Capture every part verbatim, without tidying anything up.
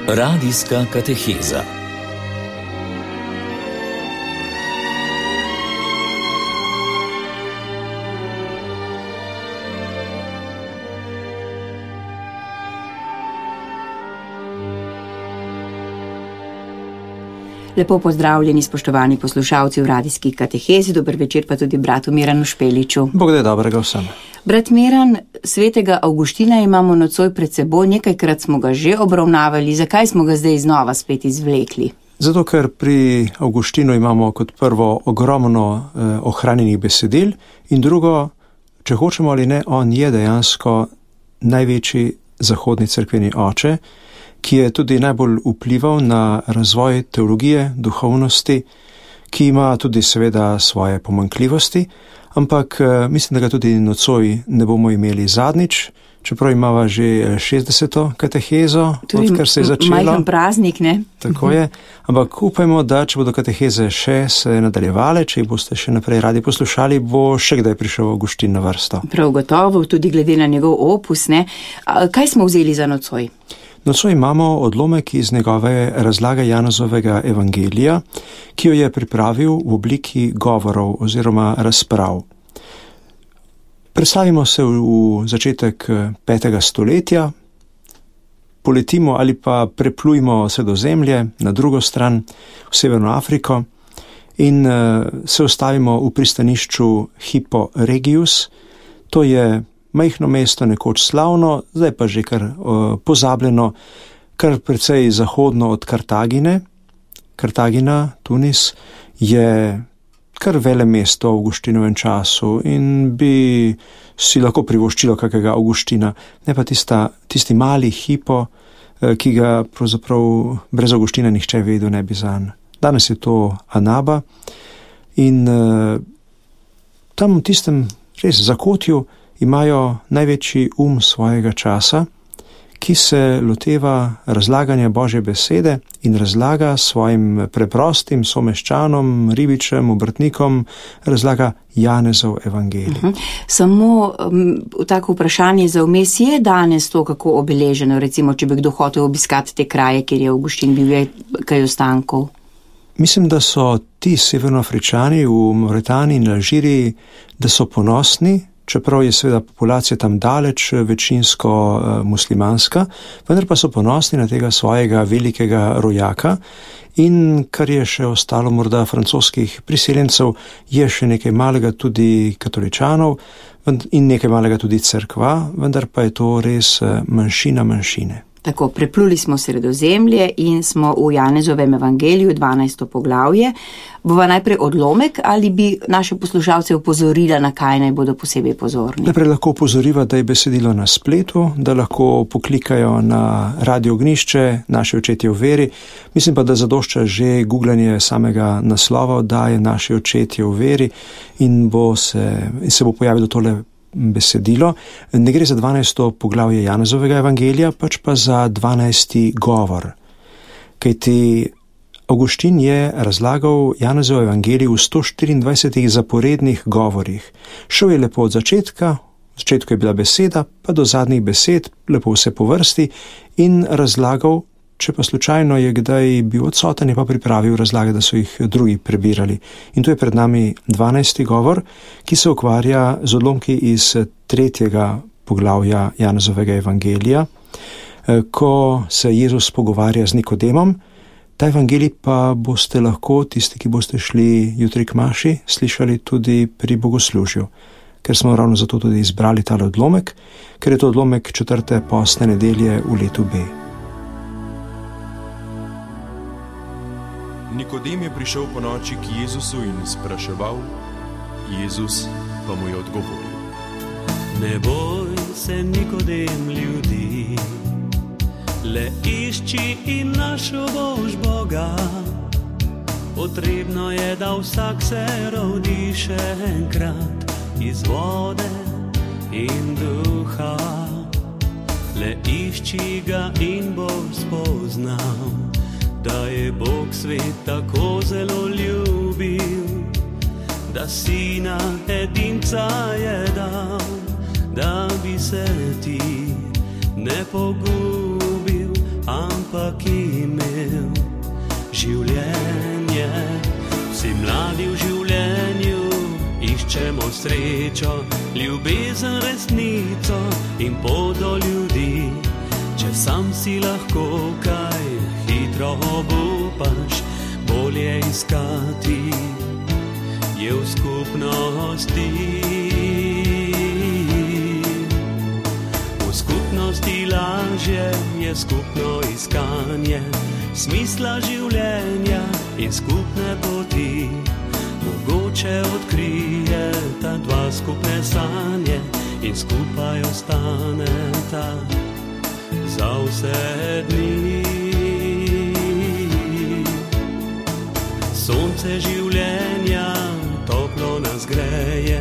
Radijska kateheza. Lepo pozdravljeni, spoštovani poslušalci v radijski katehezi, dober večer pa tudi bratu Miranu Špeliču. Bog da je dobrega vsem. Brat Miran, svetega Avguština imamo nocoj pred seboj, nekajkrat smo ga že obravnavali, zakaj smo ga zdaj znova spet izvlekli? Zato, ker pri Avguštinu imamo kot prvo ogromno eh, ohranjenih besedil in drugo, če hočemo ali ne, on je dejansko največji zahodni cerkveni oče, ki je tudi najbolj vplival na razvoj teologije, duhovnosti, ki ima tudi seveda svoje pomanjkljivosti, ampak mislim, da ga tudi nocoj ne bomo imeli zadnjič, čeprav imava že šestdeseto katehezo, odkar se je začelo. Majhen praznik, ne? Tako je, ampak upajmo, da če bodo kateheze še se nadaljevale, če jih boste še naprej radi poslušali, bo še kdaj prišel Avguštin na vrsto. Prav gotovo, tudi glede na njegov opus, ne? Kaj smo vzeli za nocoj? Nocoj imamo odlomek iz njegove razlage Janezovega evangelija, ki jo je pripravil v obliki govorov oziroma razprav. Predstavimo se v začetek petega stoletja, poletimo ali pa preplujmo Sredozemlje na drugo stran, v Severno Afriko, in se ustavimo v pristanišču Hippo Regius. To je majhno mesto, nekoč slavno, zdaj pa že kar uh, pozabljeno, kar precej zahodno od Kartagine. Kartagina, Tunis, je kar vele mesto v Avguštinovem času in bi si lahko privoščilo kakega Avguština, ne pa tista, tisti mali Hippo, uh, ki ga pravzaprav brez Avguština nihče vedel ne bi zanj. Danes je to Anaba in uh, tam v tistem res zakotju imajo največji um svojega časa, ki se loteva razlaganja Božje besede in razlaga svojim preprostim someščanom, ribičem, obrtnikom, razlaga Janezov evangelij. Uh-huh. Samo um, tako vprašanje za vmes, je danes to kako obeleženo, recimo, če bi kdo hotel obiskati te kraje, kjer je Avguštin bil, je kaj ostankov? Mislim, da so ti severnoafričani v Mauretaniji in Alžiriji, da so ponosni, čeprav je seveda populacija tam daleč večinsko uh, muslimanska, vendar pa so ponosni na tega svojega velikega rojaka in kar je še ostalo morda francoskih priseljencev, je še nekaj malega tudi katoličanov in nekaj malega tudi cerkva, vendar pa je to res uh, manjšina manjšine. Tako, prepluli smo Sredozemlje in smo v Janezovem evangeliju, dvanajsto poglavje. Bova najprej odlomek ali bi naše poslušalce upozorila, na kaj naj bodo posebej pozorni? Najprej lahko upozoriva, da je besedilo na spletu, da lahko poklikajo na Radio Ognišče, Naši očetje v veri. Mislim pa, da zadošča že googlanje samega naslova oddaje Naši očetje v veri in, bo se, in se bo pojavilo tole besedilo. Ne gre za dvanajsto poglavje Janezovega evangelija, pač pa za dvanajsti govor. Kajti Avguštin je razlagal Janezov evangelij v sto štiriindvajsetih zaporednih govorih. Šel je lepo od začetka, v začetku je bila beseda, pa do zadnjih besed, lepo vse po vrsti in razlagal. Če pa slučajno je kdaj bil odsoten, je pa pripravil razlage, da so jih drugi prebirali. In tu je pred nami dvanajsti govor, ki se ukvarja z odlomki iz tretjega poglavja Janezovega evangelija, ko se Jezus pogovarja z Nikodemom. Ta evangelij pa boste lahko, tisti, ki boste šli jutri k maši, slišali tudi pri bogoslužju, ker smo ravno zato tudi izbrali tale odlomek, ker je to odlomek četrte postne nedelje v letu B. Nikodem je prišel po noči k Jezusu in spraševal, Jezus pa mu je odgovoril. Ne boj se, Nikodem, ljudi, le išči in našel boš Boga. Potrebno je, da vsak se rodi še enkrat iz vode in duha. Le išči ga in boš spoznal, da je Bog svet tako zelo ljubil, da sina edinca je dal, da bi se ti ne pogubil, ampak Hočemo srečo, ljubezen, resnico in pot do ljudi. Če sam si lahko kaj hitro obupaš, bolje iskati je v skupnosti. V skupnosti lažje je skupno iskanje smisla življenja in skupne poti. Mogoče odkrije ta dva skupne sanje in skupaj ostaneta za vse dni. Sonce življenja toplo nas greje,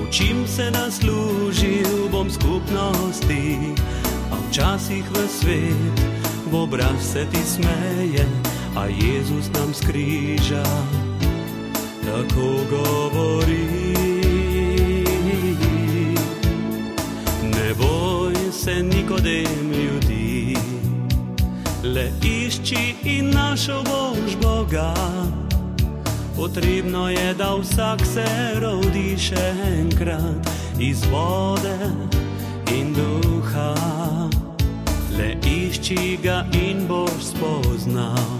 učim se, da služil bom skupnosti, a včasih v svet v obraz se ti smeje, a Jezus nam s križa tako govori. Ne boj se, Nikodem, ljudi, le išči in našel boš Boga. Potrebno je, da vsak se rodi še enkrat iz vode in duha. Le išči ga in boš spoznal,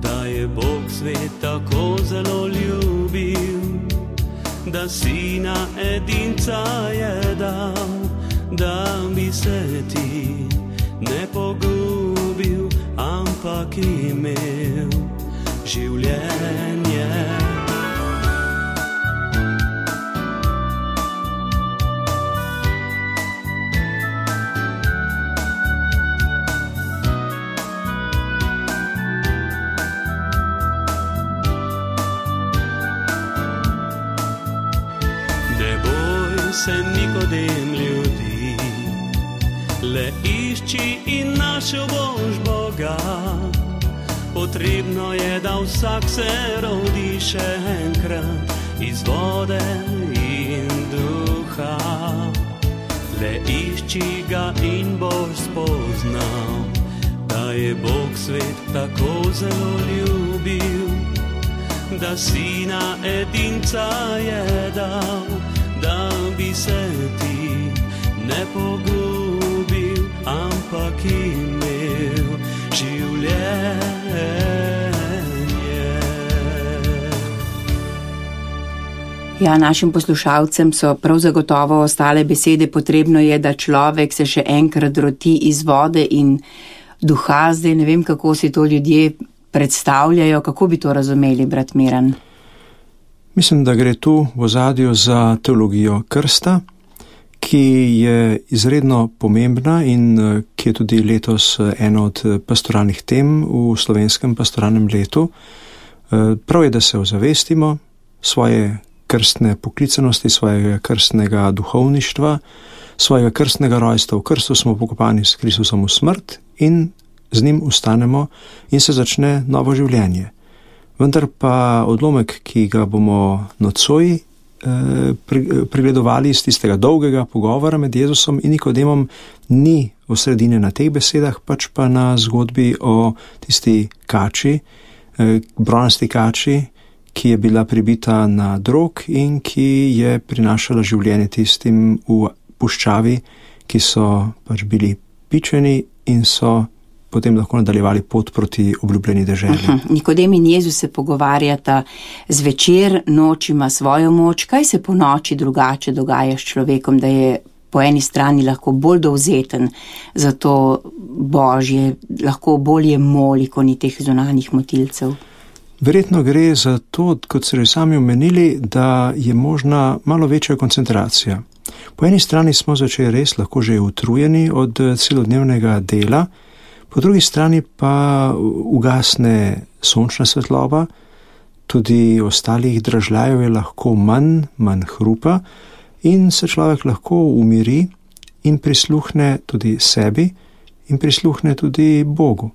da je Bog svet tako zelo ljubil, da sina edinca je dal, da bi se ti ne pogubil, ampak imel življenje. Ne boj se, Nikodem, ljudi, le išči in našel boš Boga. Potrebno je, da vsak se rodi še enkrat iz vode in duha. Le išči ga in boš spoznal, da je Bog svet tako zelo ljubil, da sina edinca je dal, da bi se ti ne pogubil, ampak imel življenje. Ja, našim poslušalcem so prav zagotovo ostale besede. Potrebno je, da človek se še enkrat rodi iz vode in duha. Zdaj ne vem, kako si to ljudje predstavljajo, kako bi to razumeli, brat Miran? Mislim, da gre tu v ozadju za teologijo krsta, ki je izredno pomembna in ki je tudi letos ena od pastoralnih tem v slovenskem pastoralnem letu. Prav je, da se ozavestimo svoje krstne poklicanosti, svojega krstnega duhovništva, svojega krstnega rojstva. V krstu smo pokopani s Kristusom v smrt in z njim ustanemo in se začne novo življenje. Vendar pa odlomek, ki ga bomo nocoj eh, pregledovali iz tistega dolgega pogovora med Jezusom in Nikodemom, ni osredine na teh besedah, pač pa na zgodbi o tisti kači, eh, bronasti kači, ki je bila pribita na drog in ki je prinašala življenje tistim v puščavi, ki so pač bili pičeni in so potem lahko nadaljevali pot proti obljubljeni deželi. Uh-huh. Nikodem in Jezus se pogovarjata zvečer, noč ima svojo moč. Kaj se po noči drugače dogaja s človekom, da je po eni strani lahko bolj dovzeten za to Božje, lahko bolje moli, ko ni teh zunanjih motilcev? Verjetno gre za to, kot ste sami omenili, da je možna malo večja koncentracija. Po eni strani smo začeli res lahko že utrujeni od celodnevnega dela, po drugi strani pa ugasne sončna svetloba, tudi ostalih dražljajev je lahko manj, manj hrupa in se človek lahko umiri in prisluhne tudi sebi in prisluhne tudi Bogu.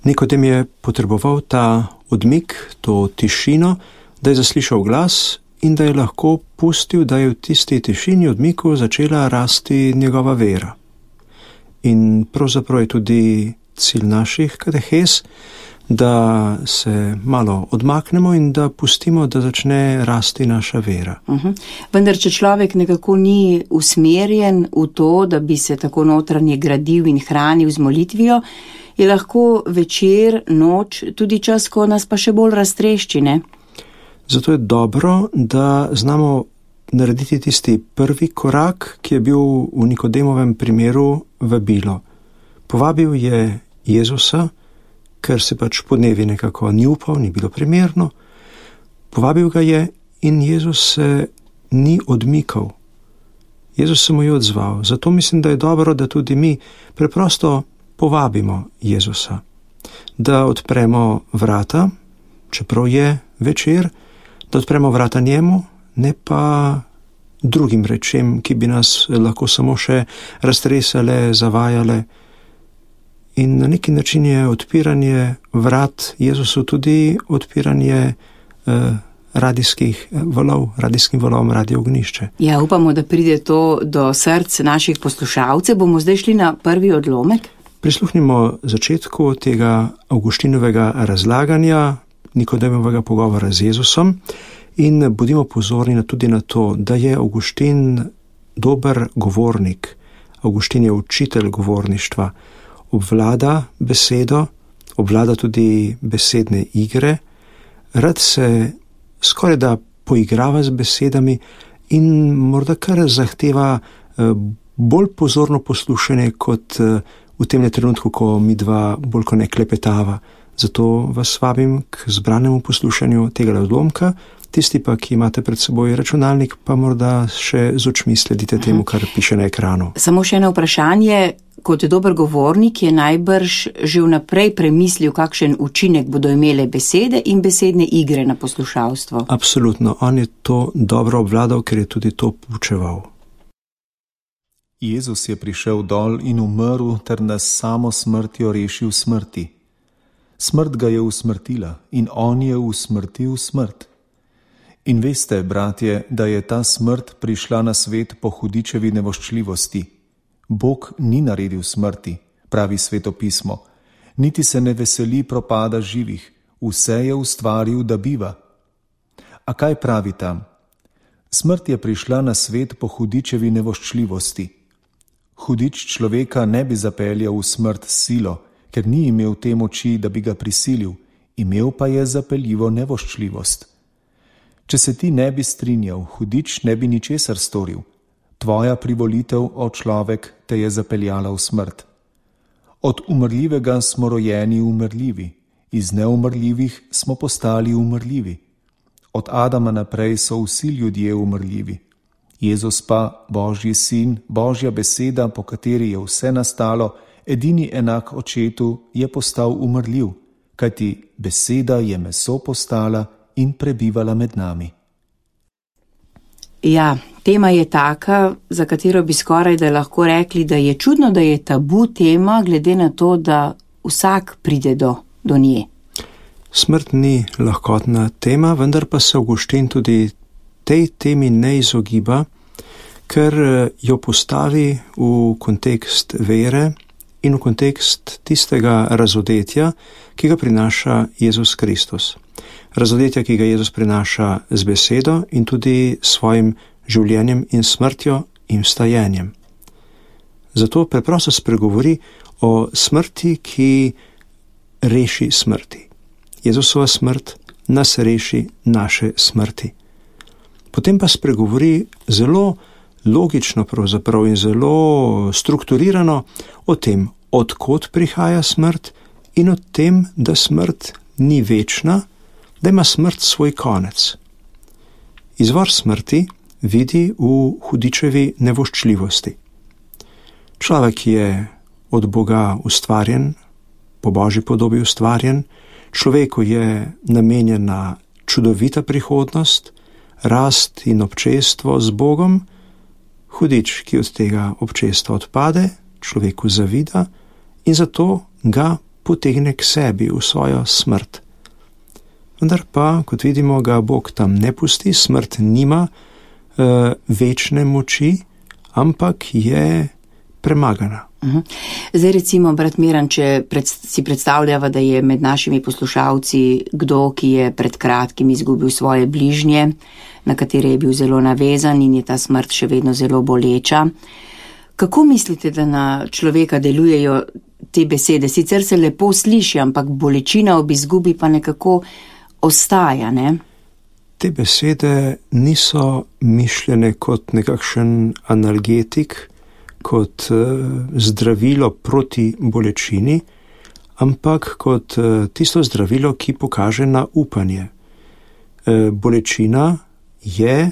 Nikodem je potreboval ta odmik, to tišino, da je zaslišal glas in da je lahko pustil, da je v tisti tišini odmiku začela rasti njegova vera. In pravzaprav je tudi cilj naših katehes, da se malo odmaknemo in da pustimo, da začne rasti naša vera. Uh-huh. Vendar, če človek nekako ni usmerjen v to, da bi se tako notranje gradil in hranil z molitvijo, je lahko večer, noč, tudi čas, ko nas pa še bolj raztrešči, ne? Zato je dobro, da znamo narediti tisti prvi korak, ki je bil v Nikodemovem primeru vabilo. Povabil je Jezusa, ker se pač podnevi nekako ni upal, ni bilo primerno. Povabil ga je in Jezus se ni odmikal. Jezus se mu je odzval. Zato mislim, da je dobro, da tudi mi preprosto povabimo Jezusa. Da odpremo vrata, čeprav je večer, da odpremo vrata njemu, ne pa drugim rečem, ki bi nas lahko samo še raztresale, zavajale. In na neki način je odpiranje vrat Jezusu tudi odpiranje eh, radijskih valov, radijskim valom Radio Ognišče. Ja, upamo, da pride to do src naših poslušalcev. Bomo zdaj šli na prvi odlomek. Prisluhnimo začetku tega Avguštinovega razlaganja, Nikodemovega pogovora z Jezusom in bodimo pozorni tudi na to, da je Avguštin dober govornik. Avguštin je učitelj govorništva. Obvlada besedo, obvlada tudi besedne igre, rad se skoraj da poigrava z besedami in morda kar zahteva bolj pozorno poslušanje kot v tem trenutku, ko mi dva bolj ko ne klepetava. Zato vas vabim k zbranemu poslušanju tega odlomka, tisti pa, ki imate pred seboj računalnik, pa morda še z očmi sledite temu, kar piše na ekranu. Samo še eno vprašanje. Kot dober govornik je najbrž že vnaprej premislil, kakšen učinek bodo imele besede in besedne igre na poslušalstvo. Absolutno, on je to dobro obvladal, ker je tudi to poučeval. Jezus je prišel dol in umrl ter nas samo smrtjo rešil smrti. Smrt ga je usmrtila in on je usmrtil smrt. In veste, bratje, da je ta smrt prišla na svet po hudičevi nevoščljivosti. Bog ni naredil smrti, pravi Sveto pismo, niti se ne veseli propada živih, vse je ustvaril, da biva. A kaj pravi tam? Smrt je prišla na svet po hudičevi nevoščljivosti. Hudič človeka ne bi zapeljal v smrt s silo, ker ni imel te moči, da bi ga prisilil, imel pa je zapeljivo nevoščljivost. Če se ti ne bi strinjal, hudič ne bi ničesar storil. Tvoja privolitev, o človek, te je zapeljala v smrt. Od umrljivega smo rojeni umrljivi, iz neumrljivih smo postali umrljivi. Od Adama naprej so vsi ljudje umrljivi. Jezus pa, Božji sin, Božja beseda, po kateri je vse nastalo, edini enak očetu, je postal umrljiv, kajti beseda je meso postala in prebivala med nami. Ja, tema je taka, za katero bi skoraj da lahko rekli, da je čudno, da je tabu tema, glede na to, da vsak pride do, do nje. Smrt ni lahkotna tema, vendar pa se Avguštin tudi tej temi ne izogiba, ker jo postavi v kontekst vere in v kontekst tistega razodetja, ki ga prinaša Jezus Kristus. Razodetja, ki ga Jezus prinaša z besedo in tudi svojim življenjem in smrtjo in vstajenjem. Zato preprosto spregovori o smrti, ki reši smrti. Jezusova smrt nas reši naše smrti. Potem pa spregovori zelo logično pravzaprav in zelo strukturirano o tem, odkot prihaja smrt in o tem, da smrt ni večna, da ima smrt svoj konec. Izvor smrti vidi v hudičevi nevoščljivosti. Človek je od Boga ustvarjen, po Božji podobi ustvarjen, človeku je namenjena čudovita prihodnost, rast in občestvo z Bogom, hudič, ki od tega občestva odpade, človeku zavida in zato ga potegne k sebi v svojo smrt. Vendar pa, kot vidimo, ga Bog tam ne pusti, smrt nima e, večne moči, ampak je premagana. Uh-huh. Zdaj recimo, brat Miran, če pred, si predstavljava, da je med našimi poslušalci kdo, ki je pred kratkim izgubil svoje bližnje, na katere je bil zelo navezan in je ta smrt še vedno zelo boleča. Kako mislite, da na človeka delujejo te besede? Sicer se lepo sliši, ampak bolečina ob izgubi pa nekako ostaja, ne? Te besede niso mišljene kot nekakšen analgetik, kot zdravilo proti bolečini, ampak kot tisto zdravilo, ki pokaže na upanje. Bolečina je,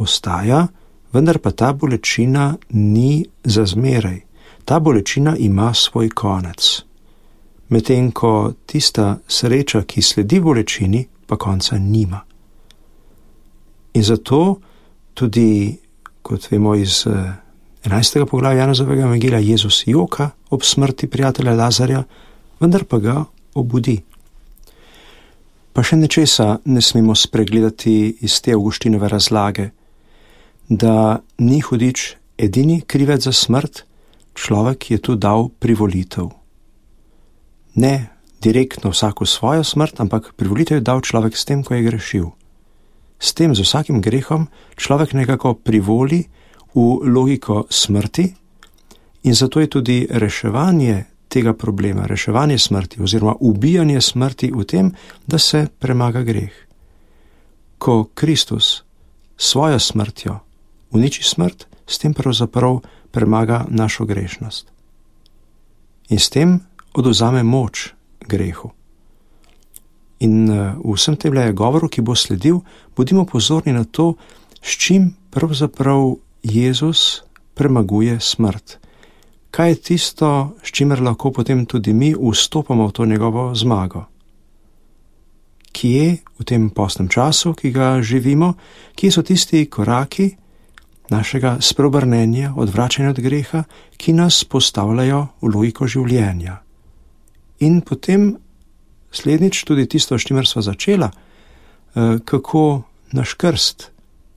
ostaja, vendar pa ta bolečina ni za zmeraj. Ta bolečina ima svoj konec. Medtem ko tista sreča, ki sledi bolečini, pa konca nima. In zato tudi, kot vemo iz enajstega poglavja Janezovega evangelija, Jezus joka ob smrti prijatelja Lazarja, vendar pa ga obudi. Pa še nečesa ne smemo spregledati iz te Avguštinove razlage, da ni hudič edini krivec za smrt, človek je tu dal privolitev. Ne direktno vsako svojo smrt, ampak privolitev je dal človek s tem, ko je grešil. S tem, z vsakim grehom, človek nekako privoli v logiko smrti in zato je tudi reševanje tega problema, reševanje smrti oziroma ubijanje smrti v tem, da se premaga greh. Ko Kristus svojo smrtjo uniči smrt, s tem pravzaprav premaga našo grešnost. In s tem odvzame moč grehu. In v vsem tem je govoru, ki bo sledil, bodimo pozorni na to, s čim pravzaprav Jezus premaguje smrt. Kaj je tisto, s čimer lahko potem tudi mi vstopamo v to njegovo zmago? Kje v tem postnem času, ki ga živimo, kje so tisti koraki našega spreobrnenja, odvračanja od greha, ki nas postavljajo v logiko življenja? In potem slednjič tudi tisto, s čimer sva začela, kako naš krst,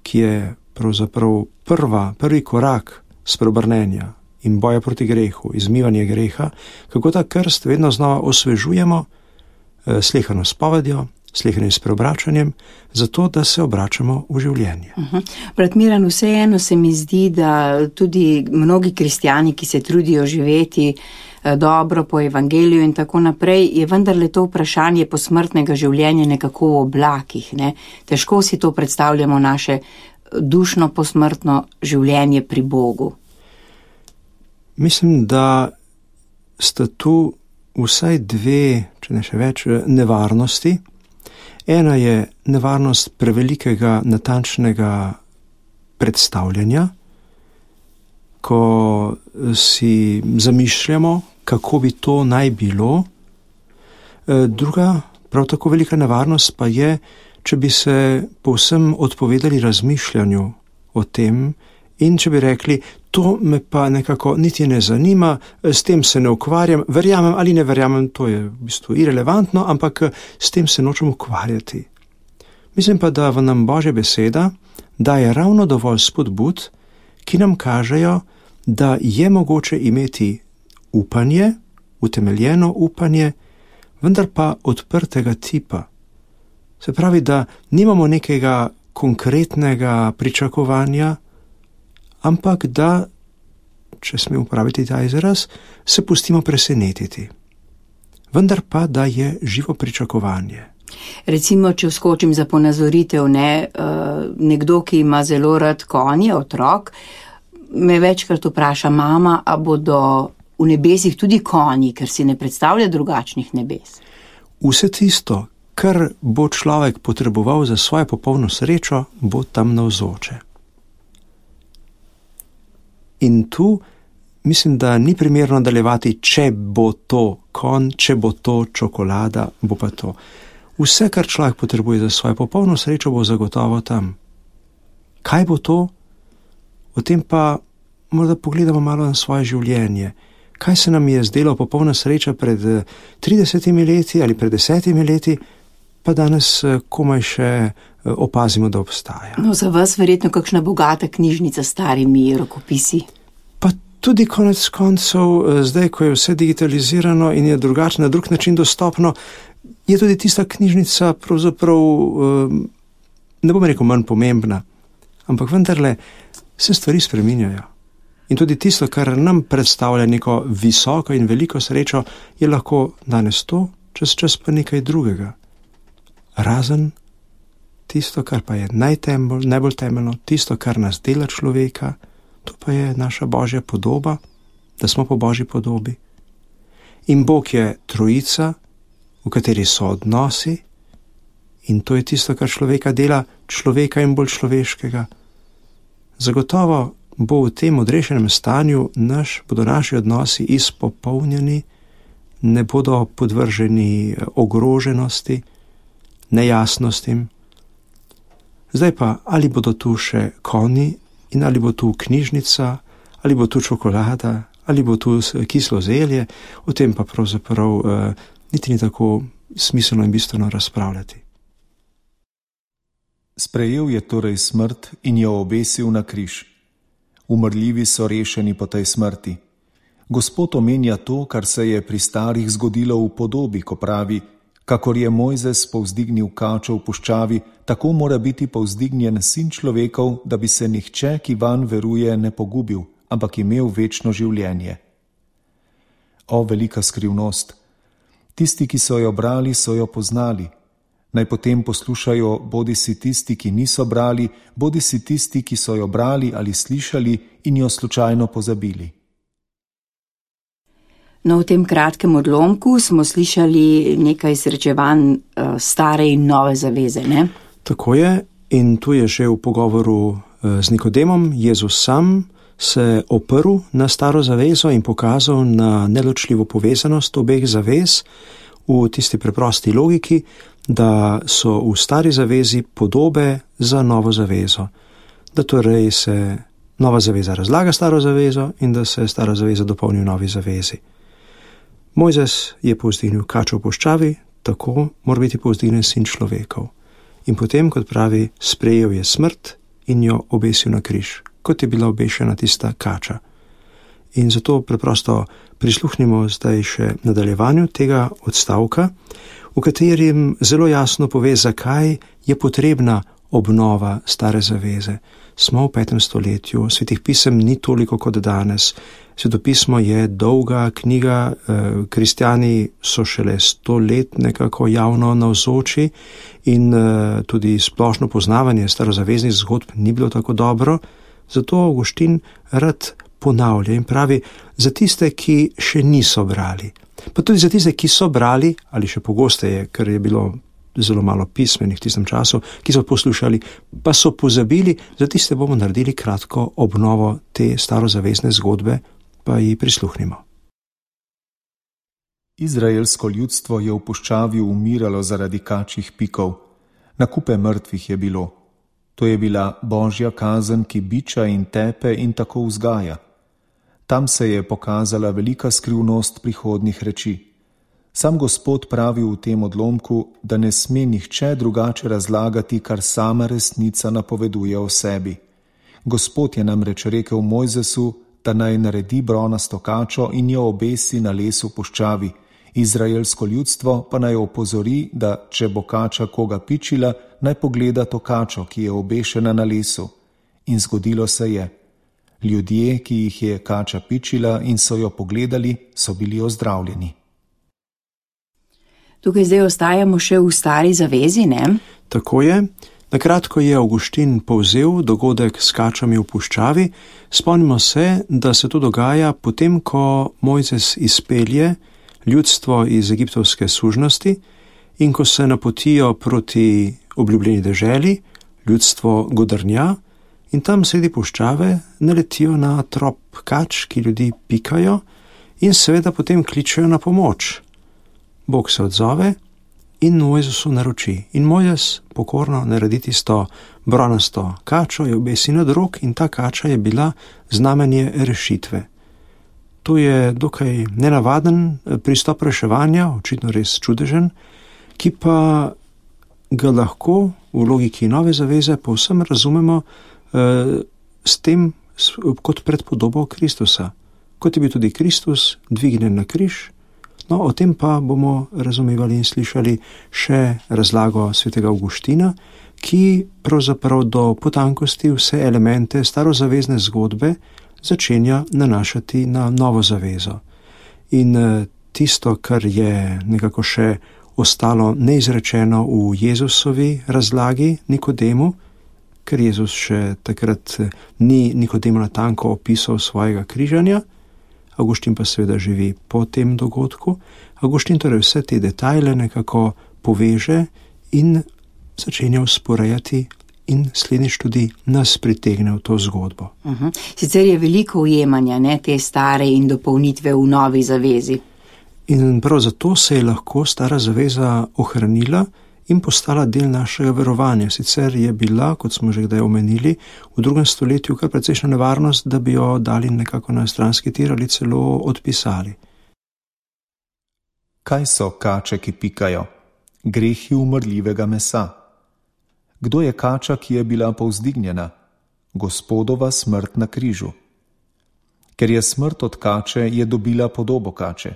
ki je pravzaprav prva, prvi korak spreobrnenja in boja proti grehu, izmivanje greha, kako ta krst vedno znova osvežujemo slehano spovedjo, slehanim spreobračanjem, zato da se obračamo v življenje. Uh-huh. Brat Miran, vseeno se mi zdi, da tudi mnogi kristjani, ki se trudijo živeti dobro po evangeliju in tako naprej, je vendarle to vprašanje posmrtnega življenja nekako v oblakih. Ne? Težko si to predstavljamo, naše dušno posmrtno življenje pri Bogu. Mislim, da sta tu vsaj dve, če ne še več, nevarnosti. Ena je nevarnost prevelikega natančnega predstavljanja, ko si zamišljamo, kako bi to naj bilo. Druga, prav tako velika nevarnost pa je, če bi se povsem odpovedali razmišljanju o tem in če bi rekli, to me pa nekako niti ne zanima, s tem se ne ukvarjam, verjamem ali ne verjamem, to je v bistvu irelevantno, ampak s tem se nočem ukvarjati. Mislim pa, da v nam Božja beseda daje ravno dovolj spodbud, ki nam kažejo, da je mogoče imeti upanje, utemeljeno upanje, vendar pa odprtega tipa. Se pravi, da nimamo nekega konkretnega pričakovanja, ampak da, če smem uporabiti ta izraz, se pustimo presenetiti. Vendar pa, da je živo pričakovanje. Recimo, če vskočim za ponazoritev, ne, nekdo, ki ima zelo rad konje, otrok, me večkrat vpraša, mama, a bodo v nebesih tudi konji, ker si ne predstavlja drugačnih nebes. Vse tisto, kar bo človek potreboval za svojo popolno srečo, bo tam navzoče. In tu mislim, da ni primerno nadaljevati, če bo to konj, če bo to čokolada, bo pa to. Vse, kar človek potrebuje za svojo popolno srečo, bo zagotovo tam. Kaj bo to? O tem pa morda pogledamo malo na svoje življenje. Kaj se nam je zdelo popolna sreča pred tridesetimi leti ali pred desetimi leti, pa danes komaj še opazimo, da obstaja. No, za vas verjetno kakšna bogata knjižnica s starimi rokopisi. Pa tudi konec koncev, zdaj, ko je vse digitalizirano in je drugače, na drug način dostopno, je tudi tista knjižnica pravzaprav, ne bom rekel manj pomembna, ampak vendarle se stvari spreminjajo. In tudi tisto, kar nam predstavlja neko visoko in veliko srečo, je lahko danes to, čez čas pa nekaj drugega. Razen tisto, kar pa je najtemelj, najbolj temeljno, tisto, kar nas dela človeka, to pa je naša Božja podoba, da smo po Božji podobi. In Bog je trojica, v kateri so odnosi, in to je tisto, kar človeka dela, človeka in bolj človeškega. Zagotovo bo v tem odrešenem stanju naš, bodo naši odnosi izpopolnjeni, ne bodo podvrženi ogroženosti, nejasnostim. Zdaj pa, ali bodo tu še konji in ali bo tu knjižnica, ali bo tu čokolada, ali bo tu kislo zelje, o tem pa pravzaprav uh, niti ni tako smiselno in bistveno razpravljati. Sprejel je torej smrt in jo obesil na križ. Umrljivi so rešeni po tej smrti. Gospod omenja to, kar se je pri starih zgodilo v podobi, ko pravi: kakor je Mojzes povzdignil kačo v puščavi, tako mora biti povzdignjen sin človekov, da bi se nihče, ki vanj veruje, ne pogubil, ampak imel večno življenje. O, velika skrivnost! Tisti, ki so jo brali, so jo poznali. Naj potem poslušajo bodi si tisti, ki niso brali, bodi si tisti, ki so jo brali ali slišali in jo slučajno pozabili. No, v tem kratkem odlomku smo slišali nekaj srečevanj uh, stare in nove zaveze, ne? Tako je, in tu je že v pogovoru uh, z Nikodemom Jezus sam se oprl na staro zavezo in pokazal na neločljivo povezanost obeh zavez v tisti preprosti logiki, da so v stari zavezi podobe za novo zavezo. Da torej se nova zaveza razlaga staro zavezo in da se stara zaveza dopolni v novi zavezi. Mojzes je povzdignil kačo v puščavi, tako mora biti povzdignjen sin človekov. In potem, kot pravi, sprejel je smrt in jo obesil na križ, kot je bila obešena tista kača. In zato preprosto prisluhnimo zdaj še nadaljevanju tega odstavka, v katerem zelo jasno pove, zakaj je potrebna obnova stare zaveze. Smo v petem stoletju, svetih pisem ni toliko kot danes. Svetopismo je dolga knjiga, kristjani so šele sto let nekako javno navzoči in tudi splošno poznavanje starozaveznih zgodb ni bilo tako dobro, zato Avguštin rad ponavlja in pravi za tiste, ki še niso brali. Pa tudi za tiste, ki so brali, ali še pogosteje, ker je bilo zelo malo pismenih v tistem času, ki so poslušali, pa so pozabili, za tiste bomo naredili kratko obnovo te starozavezne zgodbe, pa ji prisluhnimo. Izraelsko ljudstvo je v puščavi umiralo zaradi kačjih pikov. Na kupe mrtvih je bilo. To je bila Božja kazen, ki biča in tepe in tako vzgaja. Tam se je pokazala velika skrivnost prihodnjih reči. Sam Gospod pravi v tem odlomku, da ne sme nihče drugače razlagati, kar sama resnica napoveduje o sebi. Gospod je namreč rekel Mojzesu, da naj naredi bronasto kačo in jo obesi na lesu puščavi. Izraelsko ljudstvo pa naj opozori, da če bo kača koga pičila, naj pogleda to kačo, ki je obešena na lesu. In zgodilo se je. Ljudje, ki jih je kača pičila in so jo pogledali, so bili ozdravljeni. Tukaj zdaj ostajamo še v stari zavezi, ne? Tako je. Nakratko je Avguštin povzel dogodek s kačami v puščavi. Spomnimo se, da se to dogaja potem, ko Mojzes izpelje ljudstvo iz egiptovske sužnosti in ko se napotijo proti obljubljeni deželi, ljudstvo godrnja in tam sredi puščave naletijo na trop kač, ki ljudi pikajo in seveda potem kličejo na pomoč. Bog se odzove in Mojzesu naroči. In Mojzes pokorno naredi tisto bronasto kačo, jo obesi na drog in ta kača je bila znamenje rešitve. To je dokaj nenavaden pristop reševanja, očitno res čudežen, ki pa ga lahko v logiki nove zaveze povsem razumemo eh, s tem kot predpodobo Kristusa. kot je bil tudi Kristus dvignjen na križ. No, o tem pa bomo razumevali in slišali še razlago svetega Avguština, ki pravzaprav do potankosti vse elemente starozavezne zgodbe začenja nanašati na novo zavezo. In tisto, kar je nekako še ostalo neizrečeno v Jezusovi razlagi Nikodemu, ker Jezus še takrat ni Nikodemu natanko opisal svojega križanja, Avguštin pa seveda živi po tem dogodku. Avguštin torej vse te detajle nekako poveže in začenja usporajati in slednjič tudi nas pritegne v to zgodbo. Uh-huh. Sicer je veliko ujemanja, ne, te stare in dopolnitve v novi zavezi. In prav zato se je lahko stara zaveza ohranila in postala del našega verovanja. Sicer je bila, kot smo že kdaj omenili, v drugem stoletju kar precejšnja nevarnost, da bi jo dali nekako na stranski tir ali celo odpisali. Kaj so kače, ki pikajo? Grehi umrljivega mesa. Kdo je kača, ki je bila povzdignjena? Gospodova smrt na križu. Ker je smrt od kače, je dobila podobo kače.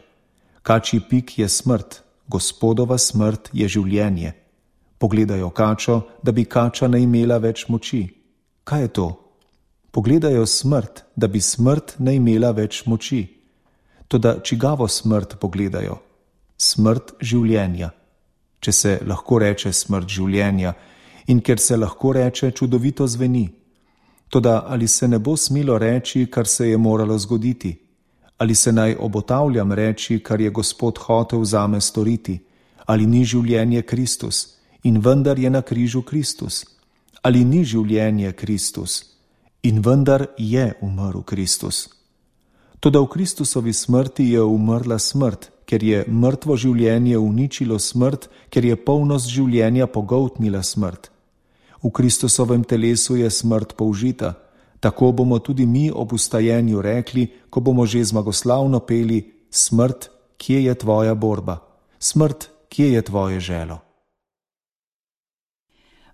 Kačji pik je smrt, Gospodova smrt je življenje. Pogledajo kačo, da bi kača ne imela več moči. Kaj je to? Pogledajo smrt, da bi smrt ne imela več moči. Toda čigavo smrt pogledajo? Smrt življenja. Če se lahko reče smrt življenja in ker se lahko reče, čudovito zveni. Toda ali se ne bo smelo reči, kar se je moralo zgoditi? Ali se naj obotavljam reči, kar je Gospod hotel zame storiti? Ali ni življenje Kristus? In vendar je na križu Kristus. Ali ni življenje Kristus? In vendar je umrl Kristus. Toda v Kristusovi smrti je umrla smrt, ker je mrtvo življenje uničilo smrt, ker je polnost življenja pogoltnila smrt. V Kristusovem telesu je smrt použita. Tako bomo tudi mi ob vstajenju rekli, ko bomo že zmagoslavno peli: smrt, kje je tvoja borba? Smrt, kje je tvoje želo?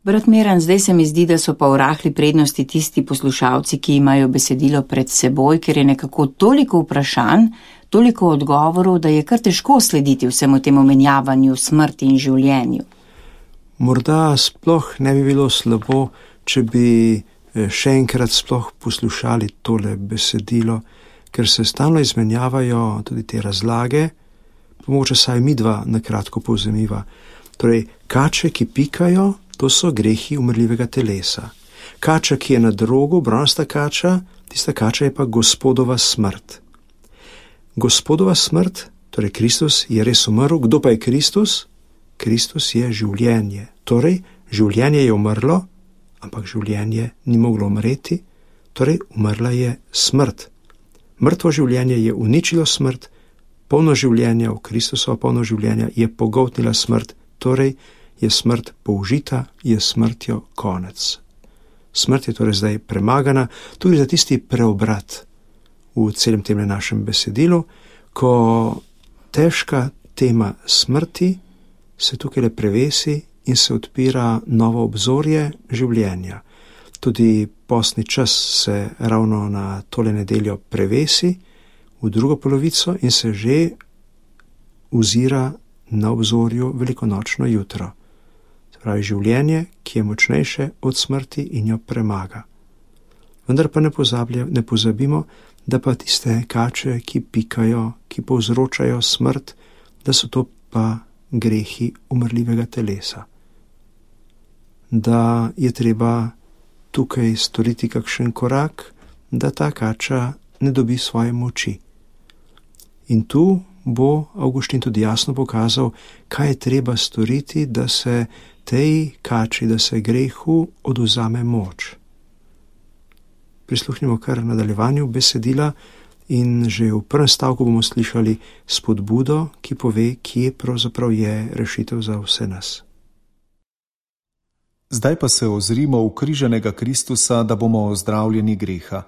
Brat Miran, zdaj se mi zdi, da so pa v rahli prednosti tisti poslušalci, ki imajo besedilo pred seboj, ker je nekako toliko vprašanj, toliko odgovorov, da je kar težko slediti vsemu temu menjavanju smrti in življenju. Morda sploh ne bi bilo slabo, če bi še enkrat sploh poslušali tole besedilo, ker se stalno izmenjavajo tudi te razlage, pomoče saj midva na kratko povzemiva. Torej, kače, ki pikajo, to so grehi umrljivega telesa. Kača, ki je na drogu, bronasta kača, tista kača je pa Gospodova smrt. Gospodova smrt, torej Kristus, je res umrl. Kdo pa je Kristus? Kristus je življenje. Torej, življenje je umrlo, ampak življenje ni moglo umreti, torej umrla je smrt. Mrtvo življenje je uničilo smrt, polno življenja v Kristusova polno življenja je pogoltnila smrt, torej je smrt použita, je smrtjo konec. Smrt je torej zdaj premagana, tudi za tisti preobrat v celem tem našem besedilu, ko težka tema smrti se tukaj le prevesi in se odpira novo obzorje življenja. Tudi postni čas se ravno na tole nedeljo prevesi v drugo polovico in se že ozira na obzorju velikonočno jutro. Se pravi življenje, ki je močnejše od smrti in jo premaga. Vendar pa ne, ne pozabimo, da pa tiste kače, ki pikajo, ki povzročajo smrt, da so to pa grehi umrljivega telesa. Da je treba tukaj storiti kakšen korak, da ta kača ne dobi svoje moči. In tu bo Avguštin tudi jasno pokazal, kaj je treba storiti, da se tej kači, da se grehu odvzame moč. Prisluhnimo kar nadaljevanju besedila in že v prvem stavku bomo slišali spodbudo, ki pove, kje pravzaprav je rešitev za vse nas. Zdaj pa se ozrimo v križanega Kristusa, da bomo ozdravljeni greha.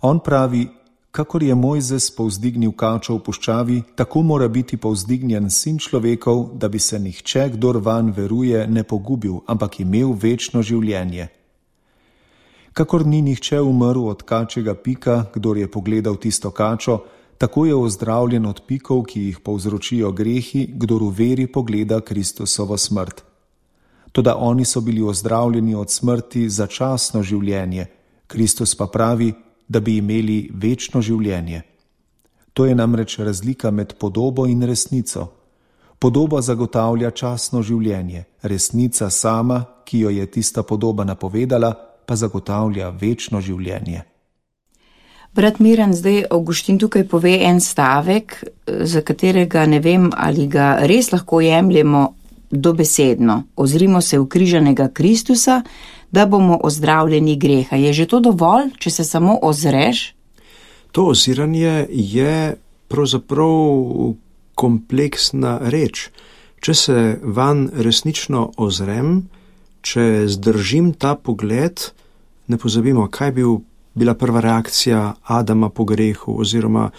On pravi: kakor je Mojzes povzdignil kačo v puščavi, tako mora biti povzdignjen sin človekov, da bi se nihče, kdor vanj veruje, ne pogubil, ampak imel večno življenje. Kakor ni nihče umrl od kačjega pika, kdor je pogledal tisto kačo, tako je ozdravljen od pikov, ki jih povzročijo grehi, kdor v veri pogleda Kristusovo smrt. Toda oni so bili ozdravljeni od smrti za časno življenje, Kristus pa pravi, da bi imeli večno življenje. To je namreč razlika med podobo in resnico. Podoba zagotavlja časno življenje, resnica sama, ki jo je tista podoba napovedala, pa zagotavlja večno življenje. Brat Miran, zdaj Avguštin tukaj pove en stavek, za katerega ne vem, ali ga res lahko jemljemo dobesedno. Ozrimo se v križanega Kristusa, da bomo ozdravljeni greha. Je že to dovolj, če se samo ozreš? To oziranje je pravzaprav kompleksna reč. Če se van resnično ozrem, če zdržim ta pogled, ne pozabimo, kaj bi bila prva reakcija Adama po grehu, oziroma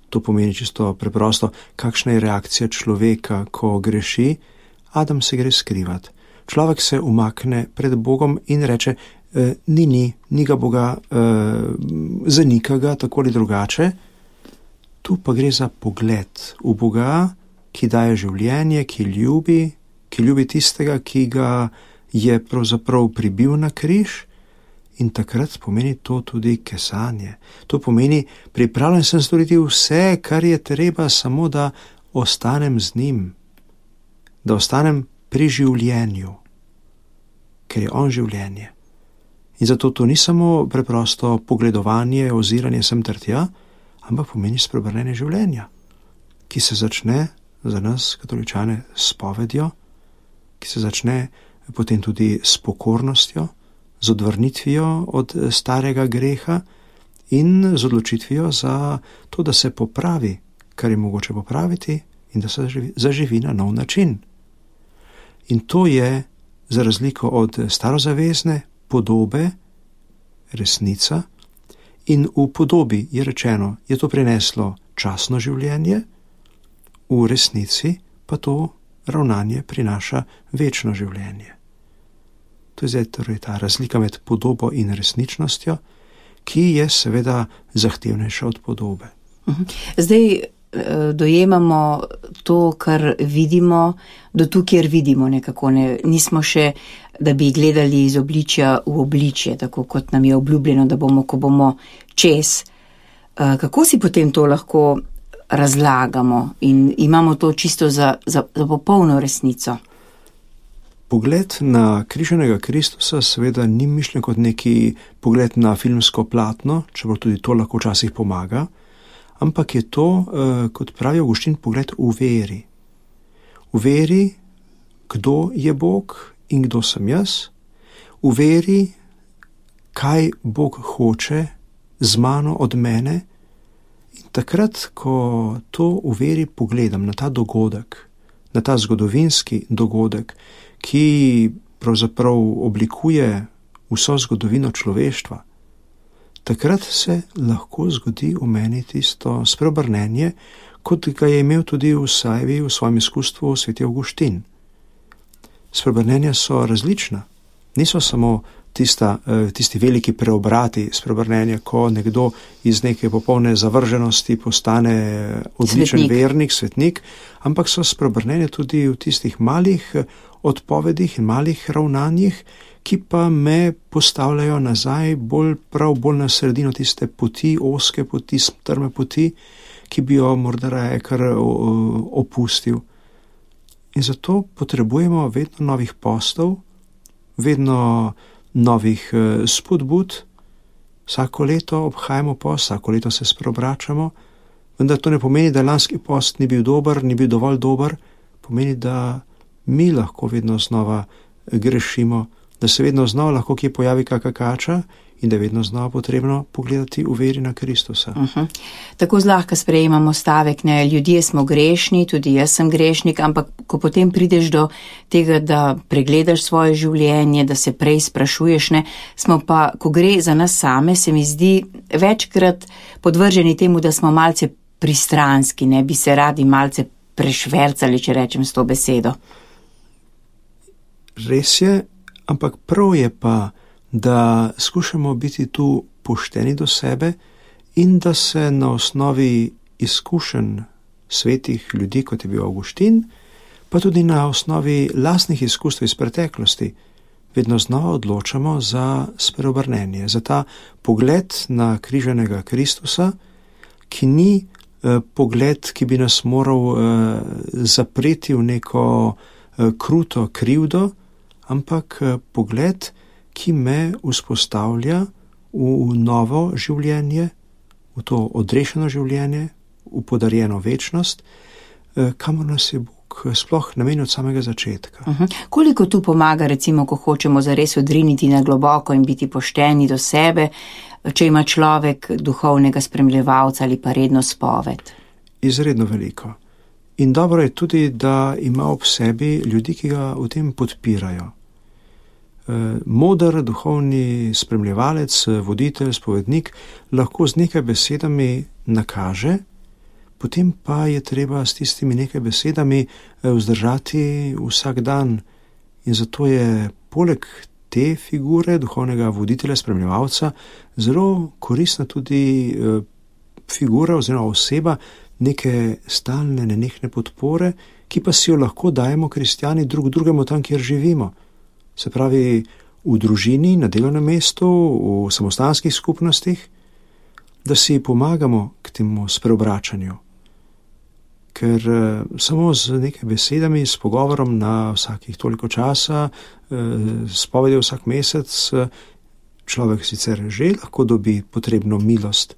to pomeni čisto preprosto, kakšna je reakcija človeka, ko greši. Adam se gre skrivat. Človek se umakne pred Bogom in reče, e, ni, ni, ni ga Boga, e, zanika ga tako ali drugače. Tu pa gre za pogled v Boga, ki daje življenje, ki ljubi, ki ljubi tistega, ki ga je pravzaprav pribil na križ, in takrat pomeni to tudi kesanje. To pomeni, pripravljen sem storiti vse, kar je treba, samo da ostanem z njim, da ostanem pri življenju, ker je on življenje. In zato to ni samo preprosto pogledovanje, oziranje sem ter tja, ampak pomeni spreobrnenje življenja, ki se začne za nas, katoličane, s povedjo, ki se začne potem tudi s pokornostjo, z odvrnitvijo od starega greha in z odločitvijo za to, da se popravi, kar je mogoče popraviti in da se zaživi, zaživi na nov način. In to je, za razliko od starozavezne podobe, resnica, in v podobi je rečeno, je to prineslo časno življenje, v resnici pa to ravnanje prinaša večno življenje. To je zdaj torej ta razlika med podobo in resničnostjo, ki je seveda zahtevnejša od podobe. Zdaj dojemamo to, kar vidimo, do tu, kjer vidimo nekako. Ne, nismo še, da bi gledali iz obličja v obličje, tako kot nam je obljubljeno, da bomo, ko bomo čez. Kako si potem to lahko razlagamo in imamo to čisto za, za, za popolno resnico? Pogled na križanega Kristusa seveda ni mišljen kot neki pogled na filmsko platno, čeprav tudi to lahko včasih pomaga, ampak je to, kot pravi Avguštin, pogled v veri. V veri, kdo je Bog in kdo sem jaz, v veri, kaj Bog hoče z mano od mene, in takrat, ko to v veri pogledam na ta dogodek, na ta zgodovinski dogodek, ki pravzaprav oblikuje vso zgodovino človeštva, takrat se lahko zgodi v meni tisto spreobrnenje, kot ga je imel tudi v Sajvi v svojem izkustvu sveti Avguštin. Spreobrnenja so različna, niso samo tista, tisti veliki preobrati spreobrnenja, ko nekdo iz neke popolne zavrženosti postane odličen svetnik. vernik, svetnik, ampak so spreobrnenja tudi v tistih malih odpovedih in malih ravnanjih, ki pa me postavljajo nazaj bolj prav bolj na sredino tiste poti, oske poti, strme poti, ki bi jo morda raje kar opustil. In zato potrebujemo vedno novih postov, vedno novih spodbud. Vsako leto obhajamo post, vsako leto se spreobračamo, vendar to ne pomeni, da lanski post ni bil dober, ni bil dovolj dober, pomeni, da mi lahko vedno znova grešimo, da se vedno znova lahko kje pojavi kakšna kača in da je vedno znova potrebno pogledati v veri na Kristusa. Uh-huh. Tako zlahka sprejemamo stavek, ne, ljudje smo grešni, tudi jaz sem grešnik, ampak ko potem prideš do tega, da pregledaš svoje življenje, da se prej sprašuješ, ne, smo pa, ko gre za nas same, se mi zdi večkrat podvrženi temu, da smo malce pristranski, ne, bi se radi malce prešvercali, če rečem s to besedo. Res je, ampak prav je pa, da skušamo biti tu pošteni do sebe in da se na osnovi izkušenj svetih ljudi, kot je bil Avguštin, pa tudi na osnovi lastnih izkustev iz preteklosti, vedno znova odločamo za spreobrnenje, za ta pogled na križanega Kristusa, ki ni eh, pogled, ki bi nas moral eh, zapreti v neko eh, kruto krivdo, ampak eh, pogled, ki me vzpostavlja v novo življenje, v to odrešeno življenje, v podarjeno večnost, eh, kamor nas je Bog sploh namenil od samega začetka. Uh-huh. Koliko tu pomaga, recimo, ko hočemo zares odriniti na globoko in biti pošteni do sebe, če ima človek duhovnega spremljevalca ali pa redno spoved? Izredno veliko. In dobro je tudi, da ima ob sebi ljudi, ki ga v tem podpirajo. Moder duhovni spremljevalec, voditelj, spovednik lahko z nekaj besedami nakaže, potem pa je treba s tistimi nekaj besedami vzdržati vsak dan. In zato je poleg te figure duhovnega voditelja, spremljevalca, zelo koristna tudi figura oziroma oseba neke stalne, nenehne podpore, ki pa si jo lahko dajemo kristjani drug drugemu tam, kjer živimo. Se pravi, v družini, na delovnem mestu, v samostanskih skupnostih, da si pomagamo k temu spreobračanju. Ker eh, samo z nekaj besedami, s pogovorom na vsakih toliko časa, eh, spovedi vsak mesec, eh, človek sicer že lahko dobi potrebno milost,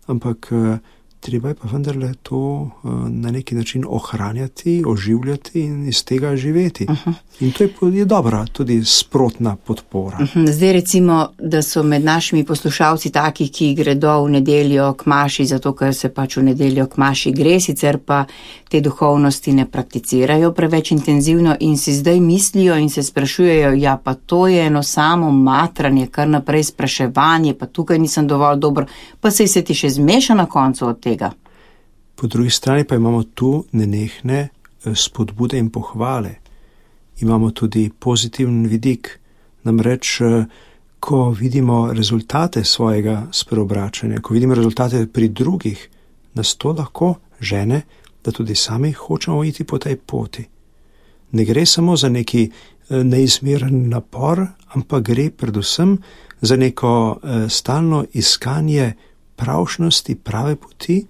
ampak eh, treba je pa vendarle to eh, na neki način ohranjati, oživljati in iz tega živeti. Uh-huh. In to je, je dobra, tudi sprotna podpora. Uh-huh. Zdaj recimo, da so med našimi poslušalci taki, ki gredo v nedeljo k maši, zato ker se pač v nedeljo k maši gre, sicer pa te duhovnosti ne prakticirajo preveč intenzivno in si zdaj mislijo in se sprašujejo, ja pa to je eno samo matranje, kar naprej spraševanje, pa tukaj nisem dovolj dober, pa sej se ti še zmeša na koncu od tega. Po drugi strani pa imamo tu nenehne spodbude in pohvale. Imamo tudi pozitiven vidik, namreč, ko vidimo rezultate svojega spreobračanja, ko vidimo rezultate pri drugih, nas to lahko žene, da tudi sami hočemo iti po tej poti. Ne gre samo za neki neizmeren napor, ampak gre predvsem za neko stalno iskanje pravšnosti, prave poti,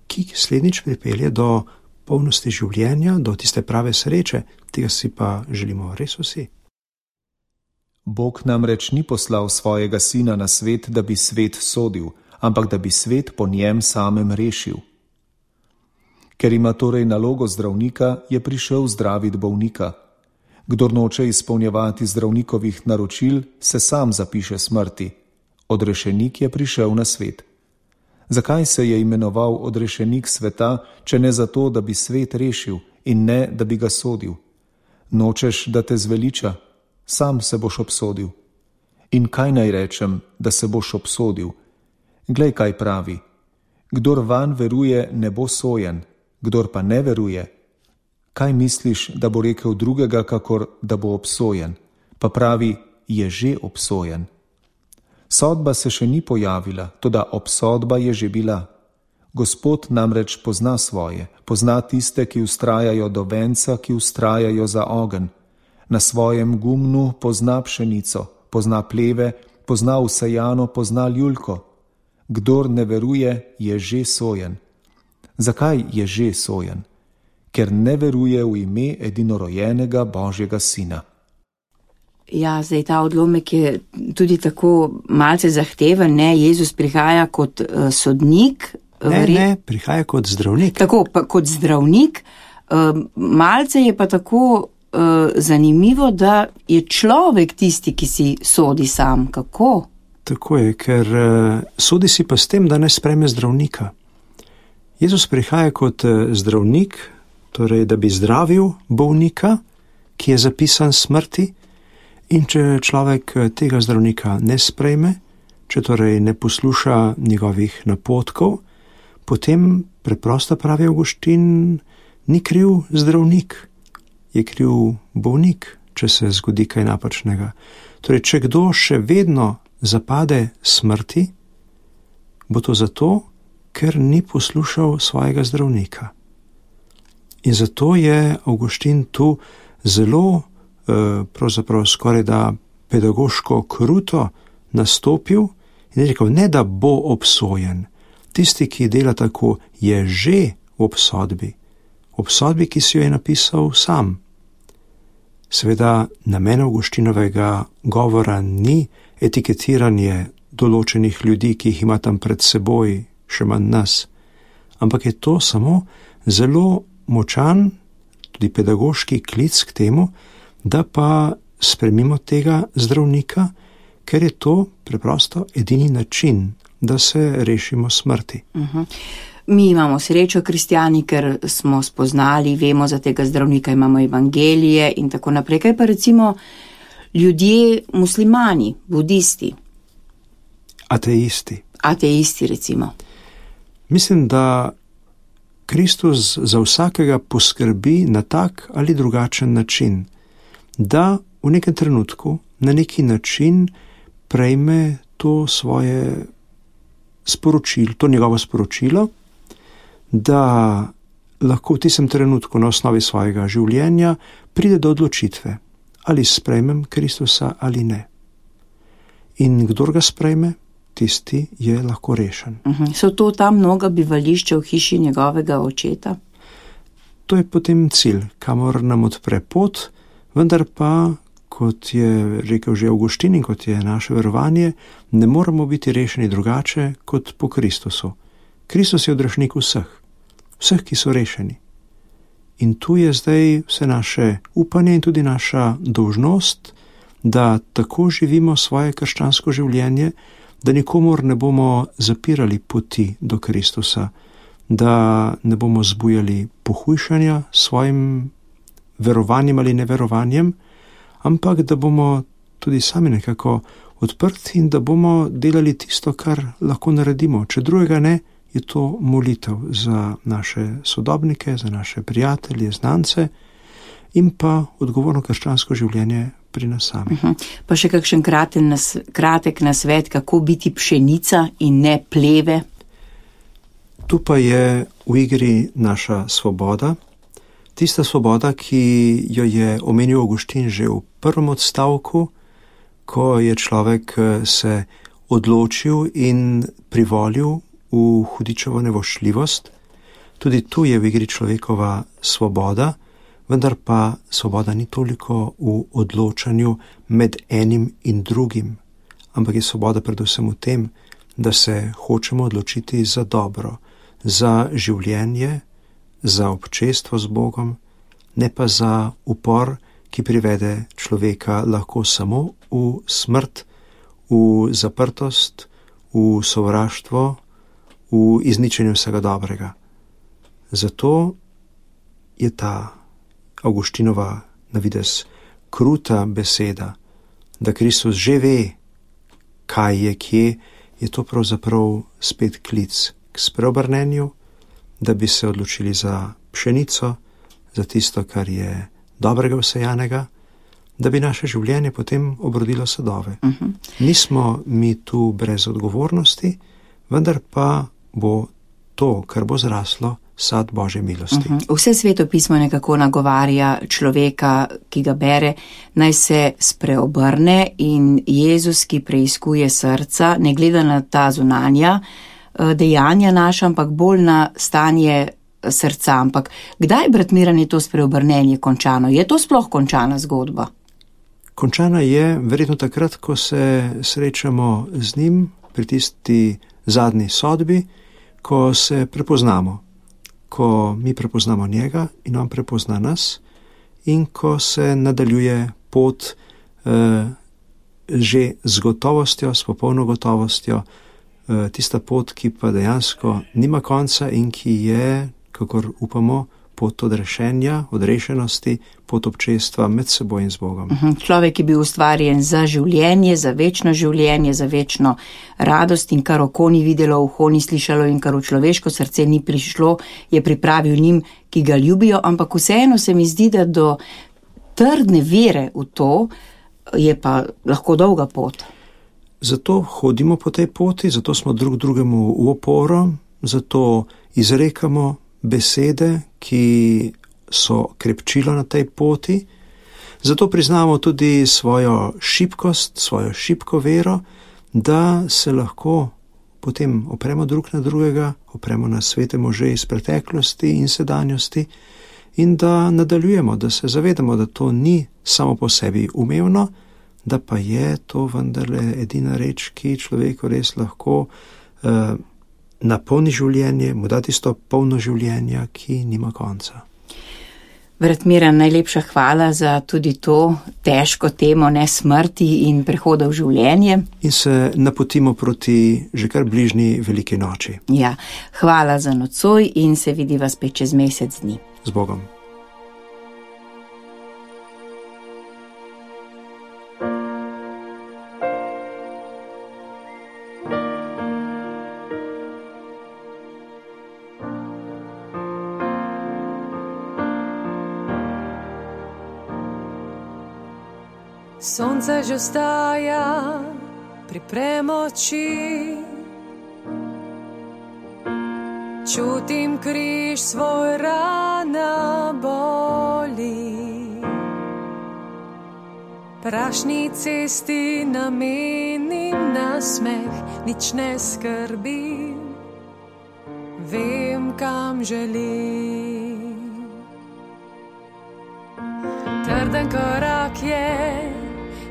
ki slednjič pripelje do polnosti življenja, do tiste prave sreče, tega si pa želimo res vsi. Bog namreč ni poslal svojega sina na svet, da bi svet sodil, ampak da bi svet po njem samem rešil. Ker ima torej nalogo zdravnika, je prišel zdraviti bolnika. Kdor noče izpolnjevati zdravnikovih naročil, se sam zapiše smrti. Odrešenik je prišel na svet. Zakaj se je imenoval odrešenik sveta, če ne zato, da bi svet rešil in ne, da bi ga sodil? Nočeš, da te zveliča? Sam se boš obsodil. In kaj naj rečem, da se boš obsodil? Glej, kaj pravi. Kdor van veruje, ne bo sojen, kdor pa ne veruje. Kaj misliš, da bo rekel drugega, kakor da bo obsojen? Pa pravi, je že obsojen. Sodba se še ni pojavila, toda obsodba je že bila. Gospod namreč pozna svoje, pozna tiste, ki vztrajajo do venca, ki vztrajajo za ogenj. Na svojem gumnu pozna pšenico, pozna pleve, pozna vsejano, pozna ljulko. Kdor ne veruje, je že sojen. Zakaj je že sojen? Ker ne veruje v ime edinorojenega Božjega Sina. Ja, zdaj ta odlomek je tudi tako malce zahteven, ne? Jezus prihaja kot uh, sodnik. Ne, vre... ne, prihaja kot zdravnik. Tako, pa kot zdravnik. Uh, malce je pa tako uh, zanimivo, da je človek tisti, ki si sodi sam. Kako? Tako je, ker uh, sodi si pa s tem, da ne sprejme zdravnika. Jezus prihaja kot uh, zdravnik, torej da bi zdravil bolnika, ki je zapisan smrti. In če človek tega zdravnika ne sprejme, če torej ne posluša njegovih napotkov, potem preprosto pravi Avguštin, ni kriv zdravnik, je kriv bolnik, če se zgodi kaj napačnega. Torej, če kdo še vedno zapade smrti, bo to zato, ker ni poslušal svojega zdravnika. In zato je Avguštin tu zelo, pravzaprav skoraj da pedagoško kruto nastopil in je rekel, ne da bo obsojen. Tisti, ki dela tako, je že v obsodbi. Obsodbi, ki si jo je napisal sam. Seveda, namen Avguštinovega govora ni etiketiranje določenih ljudi, ki jih ima tam pred seboj, še manj nas, ampak je to samo zelo močan, tudi pedagoški klic k temu, da pa spremimo tega zdravnika, ker je to preprosto edini način, da se rešimo smrti. Uh-huh. Mi imamo srečo, kristjani, ker smo spoznali, vemo za tega zdravnika, imamo evangelije in tako naprej. Kaj pa recimo ljudje, muslimani, budisti? Ateisti. Ateisti, recimo. Mislim, da Kristus za vsakega poskrbi na tak ali drugačen način, da v nekem trenutku na neki način prejme to svoje sporočilo, to njegovo sporočilo, da lahko v tistem trenutku na osnovi svojega življenja pride do odločitve, ali sprejmem Kristusa ali ne. In kdor ga sprejme, tisti je lahko rešen. Uh-huh. So to ta mnoga bivališča v hiši njegovega očeta? To je potem cilj, kamor nam odpre pot, vendar pa, kot je rekel že Avguštin in kot je naše verovanje, ne moramo biti rešeni drugače kot po Kristusu. Kristus je odrešnik vseh, vseh, ki so rešeni. In tu je zdaj vse naše upanje in tudi naša dolžnost, da tako živimo svoje krščansko življenje, da nikomor ne bomo zapirali poti do Kristusa, da ne bomo zbujali pohujšanja svojim verovanjem ali neverovanjem, ampak da bomo tudi sami nekako odprti in da bomo delali tisto, kar lahko naredimo. Če drugega ne, je to molitev za naše sodobnike, za naše prijatelje, znance in pa odgovorno krščansko življenje pri nas samih. Uh-huh. Pa še kakšen kraten nas, kratek nasvet, kako biti pšenica in ne pleve? Tu pa je v igri naša svoboda, tista svoboda, ki jo je omenil Avguštin že v prvem odstavku, ko je človek se odločil in privolil v hudičevo nevoščljivost. Tudi tu je v igri človekova svoboda, vendar pa svoboda ni toliko v odločanju med enim in drugim, ampak je svoboda predvsem v tem, da se hočemo odločiti za dobro, za življenje, za občestvo z Bogom, ne pa za upor, ki privede človeka lahko samo v smrt, v zaprtost, v sovraštvo, v izničenje vsega dobrega. Zato je ta Avguštinova navidez kruta beseda, da Kristus že ve, kaj je kje, je to pravzaprav spet klic k spreobrnenju, da bi se odločili za pšenico, za tisto, kar je dobrega vsejanega, da bi naše življenje potem obrodilo sadove. Uh-huh. Nismo mi tu brez odgovornosti, vendar pa bo to, kar bo zraslo, sad Božje milosti. Uh-huh. Vse Sveto pismo nekako nagovarja človeka, ki ga bere, naj se spreobrne in Jezus, ki preiskuje srca, ne gleda na ta zunanja dejanja naša, ampak bolj na stanje srca. Ampak kdaj, brat Miran, je to spreobrnenje končano? Je to sploh končana zgodba? Končana je verjetno takrat, ko se srečamo z njim pri tisti zadnji sodbi, ko se prepoznamo, ko mi prepoznamo njega in on prepozna nas in ko se nadaljuje pot eh, že z gotovostjo, s popolno gotovostjo, eh, tista pot, ki pa dejansko nima konca in ki je, kakor upamo, pot odrešenja, odrešenosti, pot občestva med seboj in z Bogom. Človek je bil ustvarjen za življenje, za večno življenje, za večno radost in kar oko ni videlo, uho ni slišalo in kar v človeško srce ni prišlo, je pripravil njim, ki ga ljubijo, ampak vseeno se mi zdi, da do trdne vere v to je pa lahko dolga pot. Zato hodimo po tej poti, zato smo drug drugemu v oporo, zato izrekamo besede, ki so krepčilo na tej poti, zato priznamo tudi svojo šibkost, svojo šibko vero, da se lahko potem opremo drug na drugega, opremo na svete može iz preteklosti in sedanjosti in da nadaljujemo, da se zavedamo, da to ni samo po sebi umevno, da pa je to vendarle edina reč, ki človeku res lahko eh, napolni življenje, mu da tisto polno življenja, ki nima konca. Brat Miran, najlepša hvala za tudi to težko temo ne smrti in prehoda v življenje. In se napotimo proti že kar bližnji veliki noči. Ja, hvala za nocoj in se vidiva spet čez mesec dni. Z Bogom. Sonce že vstaja pri premoči, čutim križ svoj, rana boli. Prašni cesti namenim nasmeh, nič ne skrbim, vem, kam želim. Trden korak je,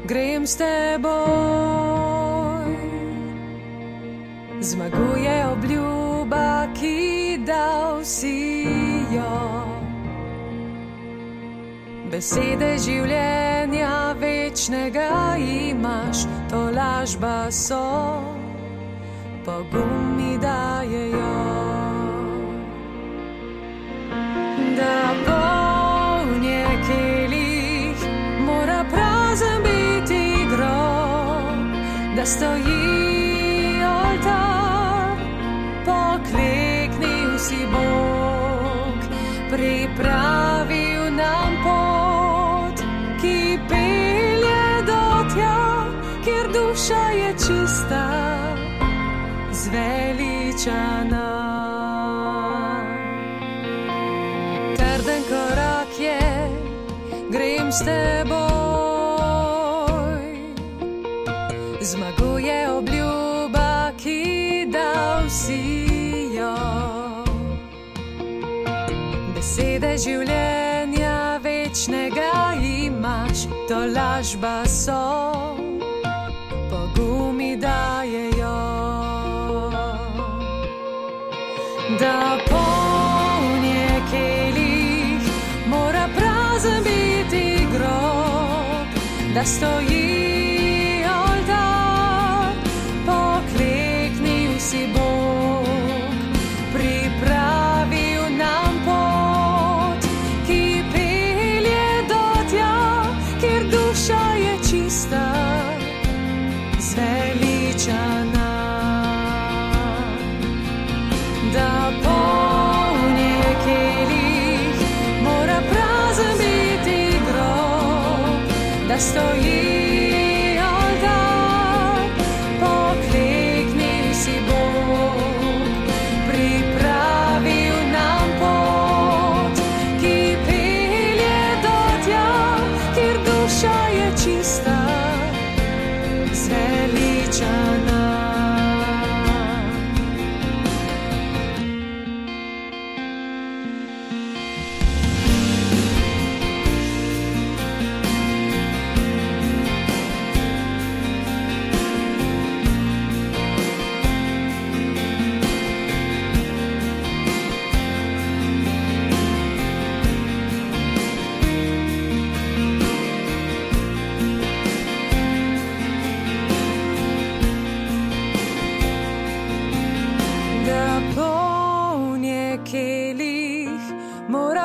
grem s teboj, zmaguje obljuba, ki dal si jo. Besede življenja večnega imaš, to lažba so, pogum mi dajejo. Da poln je kelih, mora prazen biti grob, da stoji oltar, pokleknil si Bog, pripravil nam pot, ki pelje do tja, kjer duša je čista, zveličana. Trden korak je, grem s teboj, zmaguje obljuba, ki dal si jo. Besede življenja večnega imaš, to lažba so, pogum mi dajejo. Da poln je kelih, mora prazen biti grob, da stoji oltar, pokleknil si Bog, pripravil nam pot, ki pelje do tja, kjer duša je čista, zveličana. Da poln je kelih, mora prazen biti grob, da stoji oltar, pokleknil si Bog, pripravil nam pot, ki pelje do tja, kjer duša je čista, zveličana.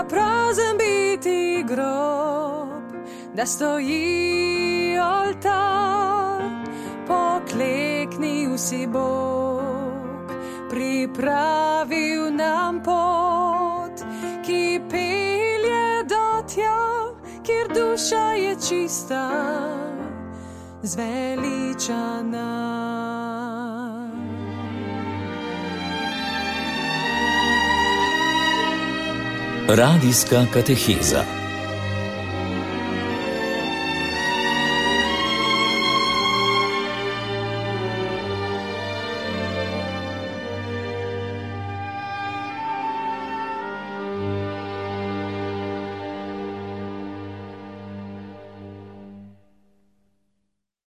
Prazen biti grob, da stoji oltar, pokleknil si Bog, pripravil nam pot, ki pelje do tja, kjer duša duša je čista, zveličana. Radijska kateheza.